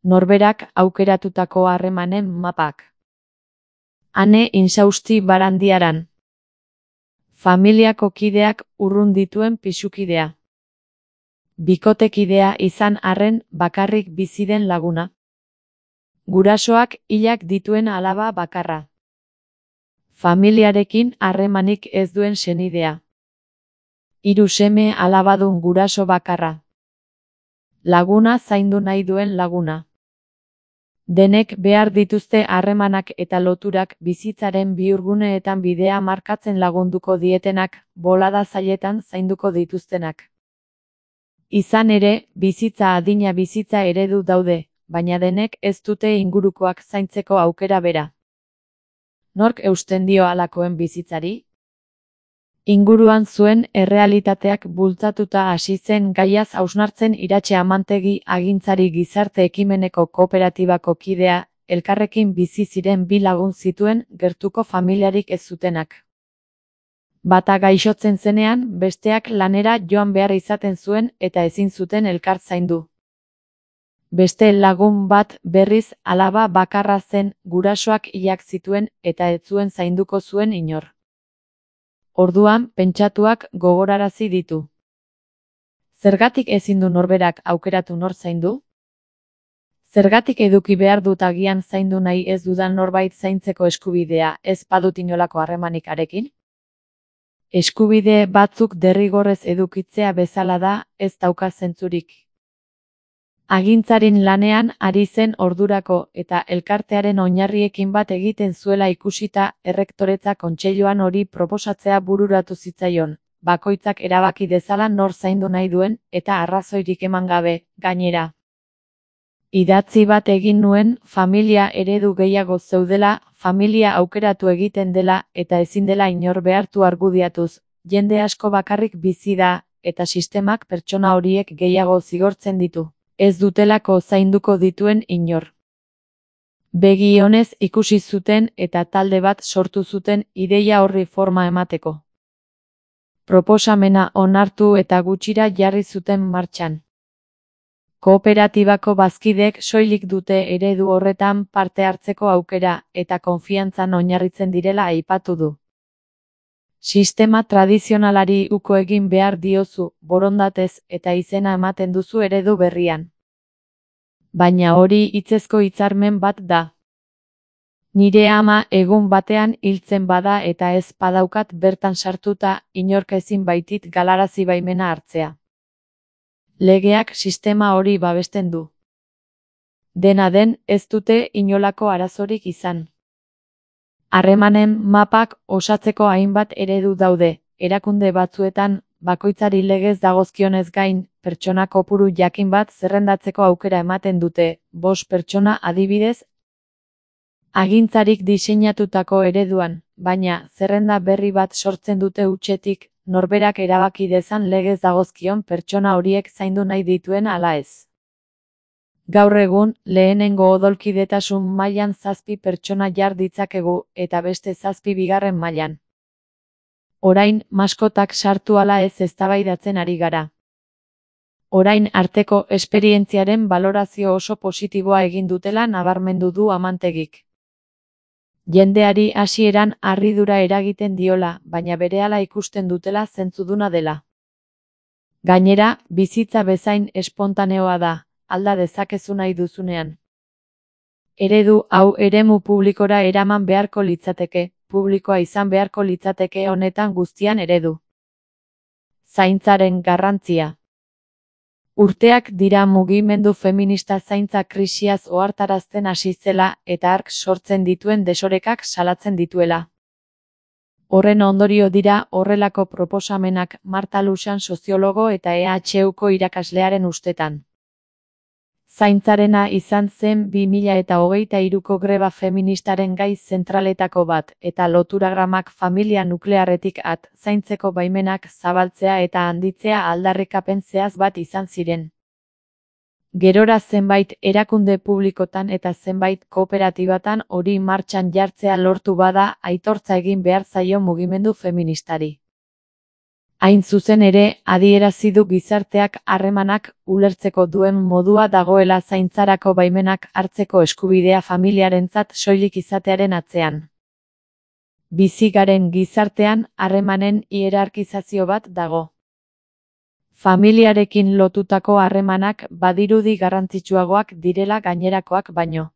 Norberak aukeratutako harremanen mapak. Ane Insausti Barandiaran. Familiako kideak urrun dituen pisukidea. Bikotekidea izan arren bakarrik bizi den laguna. Gurasoak hilak dituen alaba bakarra. Familiarekin harremanik ez duen senidea. 3 seme alabadun guraso bakarra. Laguna zaindu nahi duen laguna. Denek behar dituzte harremanak eta loturak bizitzaren bihurguneetan bidea markatzen lagunduko dietenak, bolada zailetan zainduko dituztenak. Izan ere, bizitza adina bizitza eredu daude, baina denek ez dute ingurukoak zaintzeko aukera bera. Nork eusten dio halakoen bizitzari? Inguruan zuen errealitateak bultzatuta hasi zen gaiaz hausnartzen Iratxe Amantegi agintzari gizarte ekimeneko kooperatibako kidea, elkarrekin bizi ziren 2 lagun zituen gertuko familiarik ez zutenak. Bata gaixotzen zenean, besteak lanera joan behar izaten zuen eta ezin zuten elkar zaindu. Beste lagun bat berriz alaba bakarra zen, gurasoak hilak zituen eta ez zuen zainduko zuen inor. Orduan, pentsatuak gogorarazi ditu. Zergatik ezin du norberak aukeratu nor zaindu? Zergatik eduki behar dut agian zaindu nahi ez dudan norbait zaintzeko eskubidea, ez badut inolako harremanik harekin? Eskubide batzuk derrigorrez edukitzea bezala da, ez dauka zentzurik. Agintzarin lanean ari zen ordurako eta elkartearen oinarriekin bat egiten zuela ikusita, errektoretza kontseiluan hori proposatzea bururatu zitzaion, bakoitzak erabaki dezala nor zaindu nahi duen eta arrazoirik eman gabe, gainera. Idatzi bat egin nuen, familia eredu gehiago zeudela, familia aukeratu egiten dela eta ezin dela inor behartu argudiatuz, jende asko bakarrik bizi da, eta sistemak pertsona horiek gehiago zigortzen ditu. Ez dutelako zainduko dituen inor. Begi onez ikusi zuten eta talde bat sortu zuten ideia horri forma emateko. Proposamena onartu eta gutxira jarri zuten martxan. Kooperatibako bazkideek soilik dute eredu horretan parte hartzeko aukera eta konfiantzan oinarritzen direla aipatu du. Sistema tradizionalari uko egin behar diozu, borondatez eta izena ematen duzu eredu berrian. Baina hori hitzezko hitzarmen bat da. Nire ama egun batean hiltzen bada eta ez badaukat bertan sartuta, inork ezin baitit galarazi baimena hartzea. Legeak sistema hori babesten du. Dena den, ez dute inolako arazorik izan. Harremanen mapak osatzeko hainbat eredu daude, erakunde batzuetan, bakoitzari legez dagozkionez gain, pertsona kopuru jakin bat zerrendatzeko aukera ematen dute, 5 pertsona adibidez, agintzarik diseinatutako ereduan, baina zerrenda berri bat sortzen dute hutsetik, norberak erabaki dezan legez dagozkion pertsona horiek zaindu nahi dituen ala ez. Gaur egun, lehenengo odolkidetasun mailan 7 pertsona jar ditzakegu eta beste 7 bigarren mailan. Orain, maskotak sartu ala ez eztabaidatzen ari gara. Orain arteko esperientziaren balorazio oso positiboa egin dutela nabarmendu du Amantegik. Jendeari hasieran harridura eragiten diola, baina berehala ikusten dutela zentzuduna dela. Gainera, bizitza bezain espontaneoa da, alda dezakezu nahi duzunean. Eredu hau eremu publikora eraman beharko litzateke, publikoa izan beharko litzateke honetan guztian eredu. Zaintzaren garrantzia. Urteak dira mugimendu feminista zaintza krisiaz ohartarazten hasi zela eta hark sortzen dituen desorekak salatzen dituela. Horren ondorio dira horrelako proposamenak Marta Luxan soziologo eta EHUko irakaslearen ustetan. Zaintzarena izan zen 2023ko greba feministaren gai zentraletako bat, eta loturagramak familia nuklearretik zaintzeko baimenak zabaltzea eta handitzea aldarrikapen zehatz bat izan ziren. Gerora zenbait erakunde publikotan eta zenbait kooperatibatan hori martxan jartzea lortu bada aitortza egin behar zaio mugimendu feministari. Hain zuzen ere, adierazi du gizarteak harremanak ulertzeko duen modua dagoela zaintzarako baimenak hartzeko eskubidea familiarentzat soilik izatearen atzean. Bizi garen gizartean harremanen hierarkizazio bat dago. Familiarekin lotutako harremanak badirudi garrantzitsuagoak direla gainerakoak baino.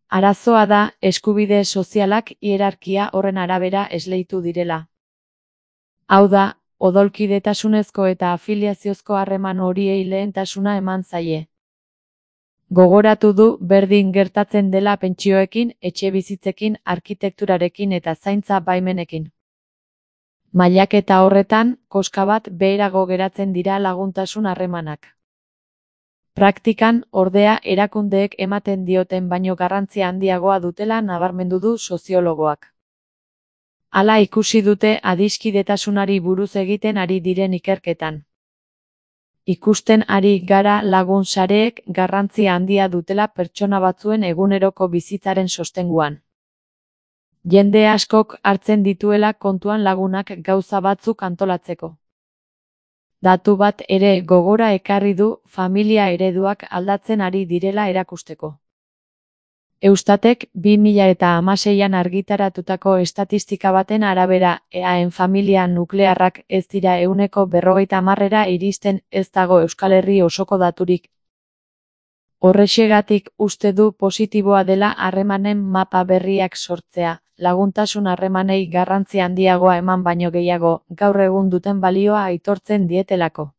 Arazoa da eskubide sozialak hierarkia horren arabera esleitu direla. Hau da, odolkidetasunezko eta afiliaziozko harreman horiei lehentasuna eman zaie. Gogoratu du berdin gertatzen dela pentsioekin, etxebizitzekin, arkitekturarekin eta zaintza baimenekin. Mailaketa horretan, koska bat beherago geratzen dira laguntasun harremanak. Praktikan, ordea, erakundeek ematen dioten baino garrantzia handiagoa dutela nabarmendu du soziologoak. Hala ikusi dute adiskidetasunari buruz egiten ari diren ikerketan. Ikusten ari gara lagun sareek garrantzia handia dutela pertsona batzuen eguneroko bizitzaren sostenguan. Jende askok hartzen dituela kontuan lagunak gauza batzuk antolatzeko. Datu bat ere gogora ekarri du familia ereduak aldatzen ari direla erakusteko. Eustatek 2016an argitaratutako estatistika baten arabera EAEn familia nuklearrak ez dira 50%ra iristen ez dago Euskal Herri osoko daturik. Horrexegatik uste du positiboa dela harremanen mapa berriak sortzea, laguntasun harremanei garrantzi handiagoa eman baino gehiago, gaur egun duten balioa aitortzen dietelako.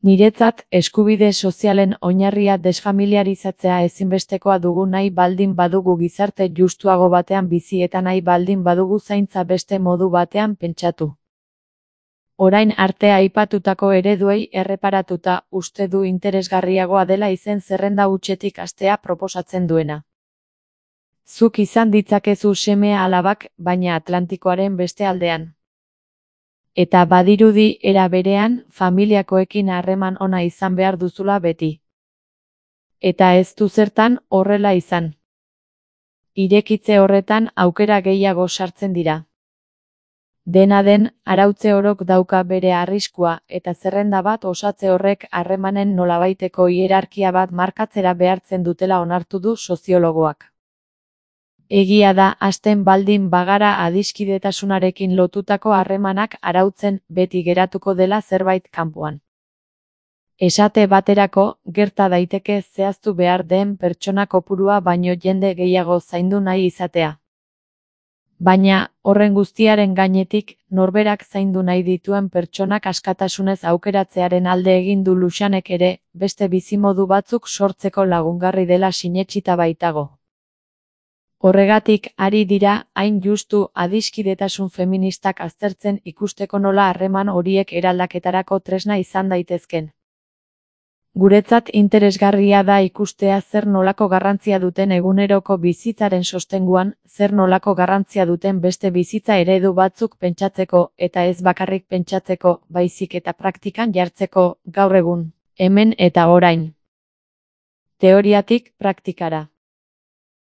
Niretzat, eskubide sozialen oinarria desfamiliarizatzea ezinbestekoa dugu nahi baldin badugu gizarte justuago batean bizi eta nahi baldin badugu zaintza beste modu batean pentsatu. Orain arte aipatutako ereduei erreparatuta uste du interesgarriagoa dela izen zerrenda hutsetik hastea proposatzen duena. Zuk izan ditzakezu seme alabak, baina Atlantikoaren beste aldean. Eta badirudi era berean, familiakoekin harreman ona izan behar duzula beti. Eta ez du zertan horrela izan. Irekitze horretan aukera gehiago sartzen dira. Dena den, arautze orok dauka bere arriskua, eta zerrenda bat osatze horrek harremanen nolabaiteko hierarkia bat markatzera behartzen dutela onartu du soziologoak. Egia da, hasten baldin bagara adiskidetasunarekin lotutako harremanak arautzen beti geratuko dela zerbait kanpoan. Esate baterako, gerta daiteke zehaztu behar den pertsona kopurua baino jende gehiago zaindu nahi izatea. Baina, horren guztiaren gainetik, norberak zaindu nahi dituen pertsonak askatasunez aukeratzearen alde egin du Luxanek ere, beste bizimodu batzuk sortzeko lagungarri dela sinetsita baitago. Horregatik ari dira, hain justu adiskidetasun feministak aztertzen ikusteko nola harreman horiek eraldaketarako tresna izan daitezken. Guretzat interesgarria da ikustea zer nolako garrantzia duten eguneroko bizitzaren sostenguan, zer nolako garrantzia duten beste bizitza eredu batzuk pentsatzeko eta ez bakarrik pentsatzeko, baizik eta praktikan jartzeko, gaur egun, hemen eta orain. Teoriatik praktikara.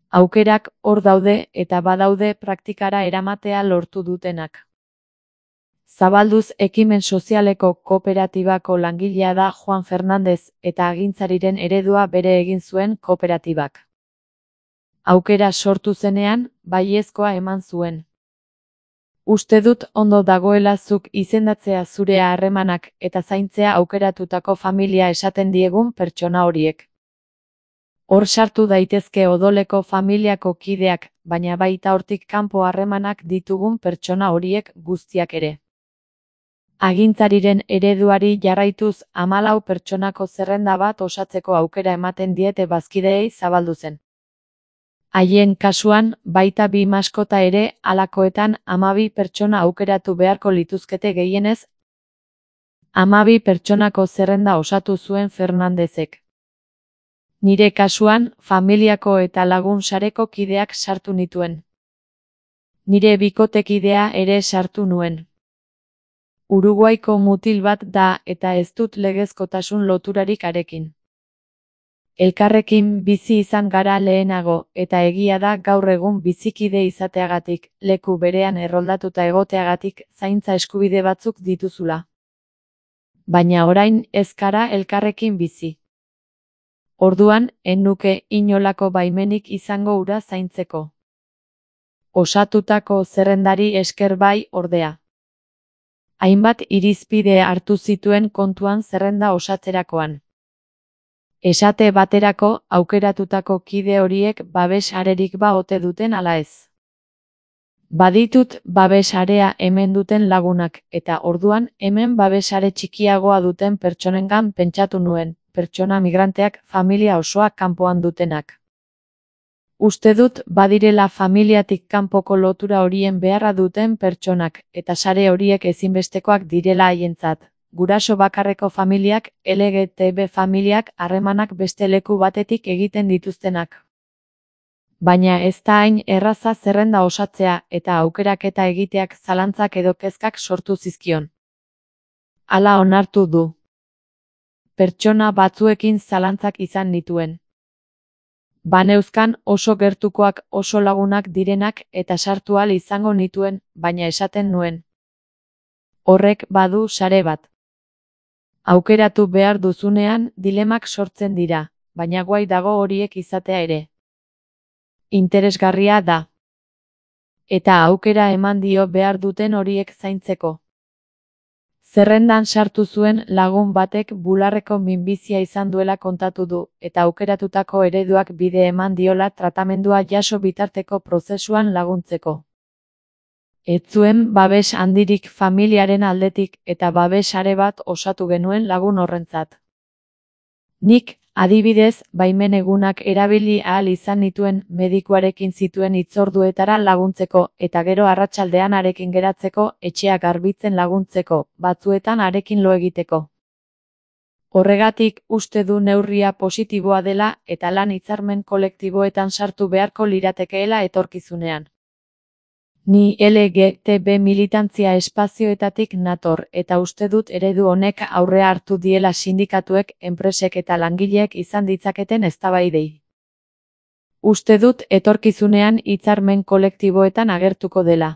Aukerak hor daude eta badaude praktikara eramatea lortu dutenak. Zabalduz ekimen sozialeko kooperatibako langilea da Juan Fernandez eta agintzariren eredua bere egin zuen kooperatibak. Aukera sortu zenean, baiezkoa eman zuen. Uste dut ondo dagoela zuk izendatzea zure harremanak eta zaintzea aukeratutako familia esaten diegun pertsona horiek. Hor sartu daitezke odoleko familiako kideak, baina baita hortik kanpo harremanak ditugun pertsona horiek guztiak ere. Agintzariren ereduari jarraituz 14 pertsonako zerrenda bat osatzeko aukera ematen diete bazkideei zabaldu zen. Haien kasuan, baita 2 maskota ere, halakoetan 12 pertsona aukeratu beharko lituzkete gehienez. 12 pertsonako zerrenda osatu zuen Fernandezek. Nire kasuan, familiako eta lagun sareko kideak sartu nituen. Nire bikotekidea ere sartu nuen. Uruguaiko mutil bat da eta ez dut legezkotasun loturarik harekin. Elkarrekin bizi izan gara lehenago, eta egia da gaur egun bizikide izateagatik, leku berean erroldatuta egoteagatik, zaintza eskubide batzuk dituzula. Baina orain ez gara elkarrekin bizi. Orduan, ez nuke inolako baimenik izango hura zaintzeko. Osatutako zerrendari esker bai, ordea. Hainbat irizpide hartu zituen kontuan zerrenda osatzerakoan. Esate baterako, aukeratutako kide horiek babes arerik ba ote duten ala ez. Baditut babes area hemen duten lagunak, eta orduan hemen babes are txikiagoa duten pertsonengan pentsatu nuen, pertsona migranteak familia osoa kanpoan dutenak. Uste dut badirela familiatik kanpoko lotura horien beharra duten pertsonak, eta sare horiek ezinbestekoak direla haientzat. Guraso bakarreko familiak, LGTB familiak harremanak beste leku batetik egiten dituztenak. Baina ez da hain erraza zerrenda osatzea eta aukeraketa egiteak zalantzak edo kezkak sortu zizkion. Hala onartu du. Pertsona batzuekin zalantzak izan nituen. Baneuzkan oso gertukoak oso lagunak direnak eta sartu ahal izango nituen, baina esaten nuen. Horrek badu sare bat. Aukeratu behar duzunean dilemak sortzen dira, baina guai dago horiek izatea ere. Interesgarria da. Eta aukera eman dio behar duten horiek zaintzeko. Zerrendan sartu zuen lagun batek bularreko minbizia izan duela kontatu du, eta aukeratutako ereduak bide eman diola tratamendua jaso bitarteko prozesuan laguntzeko. Ez zuen babes handirik familiaren aldetik eta babes are bat osatu genuen lagun horrentzat. Nik, adibidez, baimen egunak erabili ahal izan nituen medikuarekin zituen hitzorduetara laguntzeko eta gero arratsaldean harekin geratzeko, etxea garbitzen laguntzeko, batzuetan harekin lo egiteko. Horregatik uste du neurria positiboa dela eta lan hitzarmen kolektiboetan sartu beharko liratekeela etorkizunean. Ni LGTB militantzia espazioetatik nator eta uste dut eredu honek aurrea hartu diela sindikatuek, enpresek eta langileek izan ditzaketen eztabaidei. Uste dut etorkizunean hitzarmen kolektiboetan agertuko dela.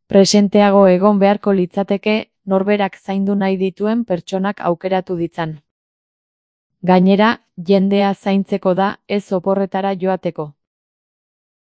Presenteago egon beharko litzateke, norberak zaindu nahi dituen pertsonak aukeratu ditzan. Gainera, jendea zaintzeko da, ez oporretara joateko.